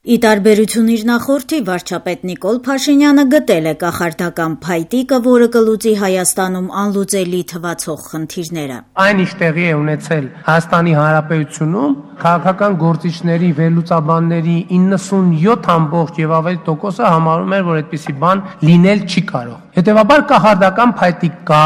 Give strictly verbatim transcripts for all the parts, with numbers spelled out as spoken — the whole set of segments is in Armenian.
Ի տարբերություն իր նախորդի, վարչապետ Նիկոլ Փաշինյանը գտել է կախարդական փայտիկը, որը կլուծի Հայաստանում անլուծելի թվացող խնդիրները։ Այն ինչ տեղի է ունեցել Հայաստանի Հանրապետությունում, քաղաքական գործիչների, վերլուծաբանների իննսունյոթ ամբողջ եւ ավելի տոկոսը համարում էր, որ այդպիսի բան լինել չի կարող։ Հետևաբար կախարդական փայտիկ կա,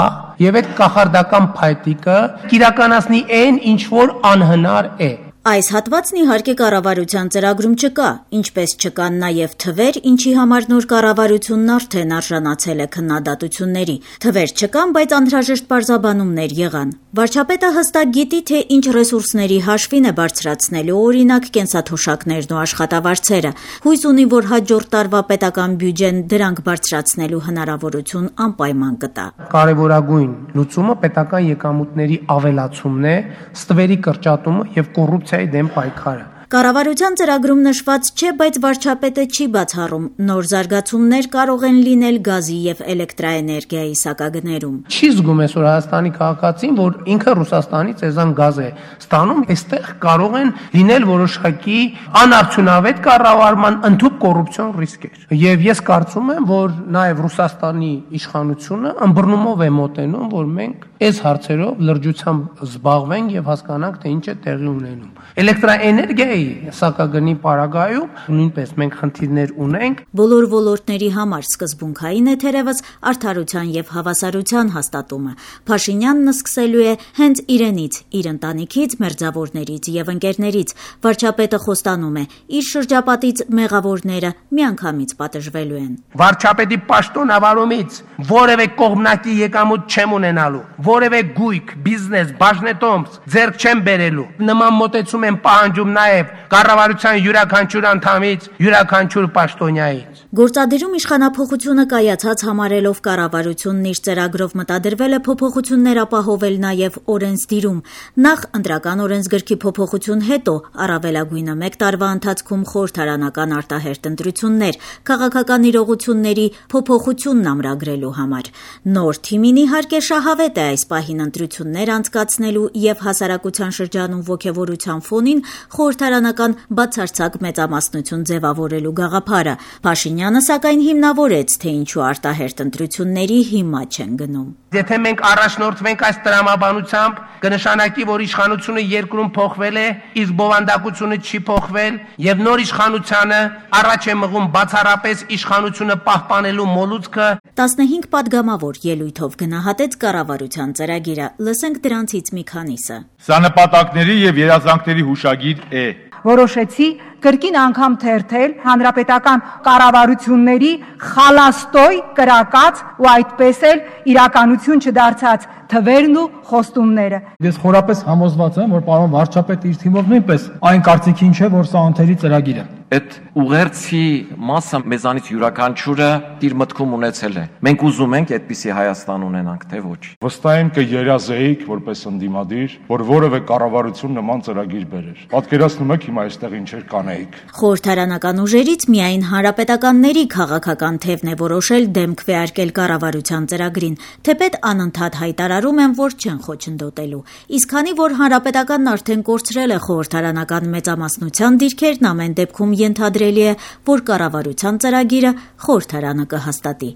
եւ այդ կախարդական փայտիկը կիրականացնի այն, ինչ որ անհնար է։ Այս հատվածն իհարկե կառավարության ծրագրում չկա, ինչպես չկան նաև թվեր, ինչի համար նոր կառավարությունն արդեն արժանացել է քննադատությունների։ Թվեր չկան, բայց անհրաժեշտ պարզաբանումներ եղան։ Վարչապետը հստակ գիտի, թե ինչ ռեսուրսների հաշվին է բարձրացնելու, օրինակ կենսաթոշակներն ու աշխատավարձերը։ Հույս ունի, որ հաջորդ տարվա պետական բյուջեն դրանք բարձրացնելու հնարավորություն անպայման կտա։ Կարևորագույն լուծումը պետական եկամուտների ավելացումն է, ստվերի կրճատումը եւ կոռուպցիայի դեմ պայքարը։ Կառավարության ծրագրում նշված չէ, բայց վարչապետը չի բացառում, նոր զարգացումներ կարող են լինել գազի եւ էլեկտրաէներգիայի սակագներում։ Չի զգում այսօր Հայաստանի քաղաքացին, որ ինքը Ռուսաստանից էզան գազ է ստանում, այստեղ կարող են լինել որոշակի անարդյունավետ կառավարման ընդհանուր կոռուպցիոն ռիսկեր։ Եվ ես կարծում եմ, որ նաեւ Ռուսաստանի իշխանությունը ըմբռնումով է մոտենում, որ մենք այս հարցերով լրջությամբ զբաղվենք եւ հասկանանք, թե ինչ է տեղի ունենում։ Էլեկտրաէներգիայի սակագնի պարագայում նույնպես մենք խնդիրներ ունենք։ Բոլոր ոլորտների համար սկզբունքային է թերևս արդարության եւ հավասարության հաստատումը։ Փաշինյանն սկսելու է հենց իրենից, իր ընտանիքից, մերձավորներից եւ ընկերներից։ Վարչապետը խոստանում է, իր շրջապատից մեղավորները միանգամից պատժվելու են։ Վարչապետի պաշտոնավարումից որևէ կողմնակի եկամուտ չեմ ունենալու, որևէ գույք, բիզնես, բաժնետոմս ձեռք չեմ բերելու։ Նման մոտեցում եմ պահանջում նաեւ կառավարության յուրաքանչյուր անդամից, յուրաքանչյուր պաշտոնյայից։ Գործադիրում իշխանափոխությունը կայացած համարելով կառավարությունն իր ծրագրով մտադրվել է փոփոխություններ ապահովել նաև օրենսդիրում։ Նախ ընտրական օրենսգրքի փոփոխություն, հետո առավելագույնը մեկ տարվա ընթացքում խորհրդարանական արտահերթ ընտրություններ, քաղաքական իրողությունների փոփոխությունն ամրագրելու համար։ Նոր թիմին իհարկե շահավետ է այս պահին ընտրություններ անցկացնելու եւ հասարակության շրջանում ոգևորության ֆոնին խորհրդարանական բացարձակ մեծամասնություն ձևավորելու գաղափարը։ Փաշինյանը սակայն հիմնավորեց, թե ինչու արտահերթ ընտրությունների հիմա չեն գնում։ Եթե մենք առաջնորդվենք այս տրամաբանությամբ, կնշանակի, որ իշխանությունը երկրում փոխվել է, իսկ բովանդակությունը չի փոխվել, եւ նոր իշխանությանը առաջ է մղում բացառապես իշխանությունը պահպանելու մոլուցքը։ տասնհինգ պատգամավոր ելույթով գնահատեց կառավարության ծրագիրը։ Լսենք դրանցից մի քանիսը։ Սա նպատակների եւ երազանքների հուշագիր է։ Որոշեցի կրկին անգամ թերթել հանրապետական կառավարությունների խալաստոյ կրակած ու այդպես էլ իրականություն չդարձած թվերն ու խոստումները։ Ես խորապես համոզված եմ, որ պարոն վարչապետը իր թիմով նույնպես այն կարծիքին չէ, որ սա անթերի ծրագիր է։ Այդ ուղերձի մասը մեզանից յուրաքանչյուրը իր մտքում ունեցել է։ Մենք ուզում ենք այդպիսի Հայաստան ունենանք, թե ոչ։ Վստահ եմ կերազեիք որպես ընդդիմադիր, որ որևէ կառավարություն նման ծրագիր բերեր։ Պատկերացնում եք հիմա այստեղ ինչեր կանեիք։ Խորհրդարանական ուժերից միայն հանրապետականների քաղաքական թևն է որոշել դեմ քվեարկել կառավարության ծրագրին, թեպետ անընդհատ հայտարարում են, որ չեն խոչընդոտելու։ Իսկ քանի որ հանրապետականն արդեն կորցրել է խորհրդարանական մեծամասնության դիրքերն, ամեն դեպքում ենթադրելի է, որ կառավարության ծրագիրը խորհրդարանը կհաստատի։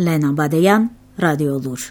Լենա Բադեյան, Ռադիոլուր։